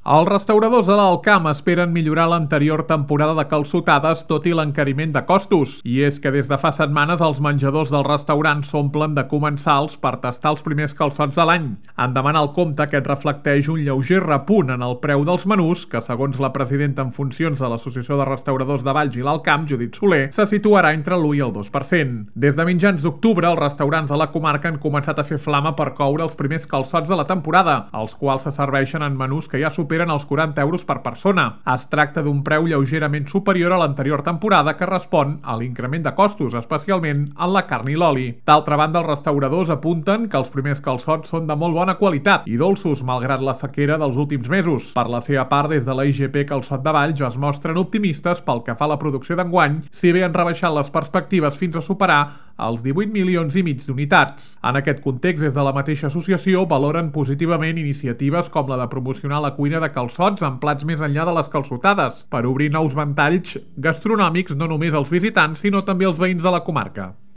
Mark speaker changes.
Speaker 1: Els restauradors de l'Alt Camp esperen millorar l'anterior temporada de calçotades tot i l'encariment de costos. I és que des de fa setmanes els menjadors dels restaurants s'omplen de comensals per tastar els primers calçots de l'any. En demanar el compte, aquest reflecteix un lleuger repunt en el preu dels menús, que segons la presidenta en funcions de l'Associació de Restauradors de Valls i l'Alt Camp, Judit Soler, se situarà entre l'1 i el 2%. Des de mitjans d'octubre, els restaurants de la comarca han començat a fer flama per coure els primers calçots de la temporada, els quals se serveixen en menús que ja superen els 40 euros per persona. Es tracta d'un preu lleugerament superior a l'anterior temporada que respon a l'increment de costos, especialment en la carn i l'oli. D'altra banda, els restauradors apunten que els primers calçots són de molt bona qualitat i dolços, malgrat la sequera dels últims mesos. Per la seva part, des de la IGP Calçot de Valls es mostren optimistes pel que fa a la producció d'enguany, si bé han rebaixat les perspectives fins a superar els 18,5 milions d'unitats. En aquest context, des de la mateixa associació valoren positivament iniciatives com la de promocionar la cuina de calçots amb plats més enllà de les calçotades, per obrir nous ventalls gastronòmics no només als visitants, sinó també als veïns de la comarca.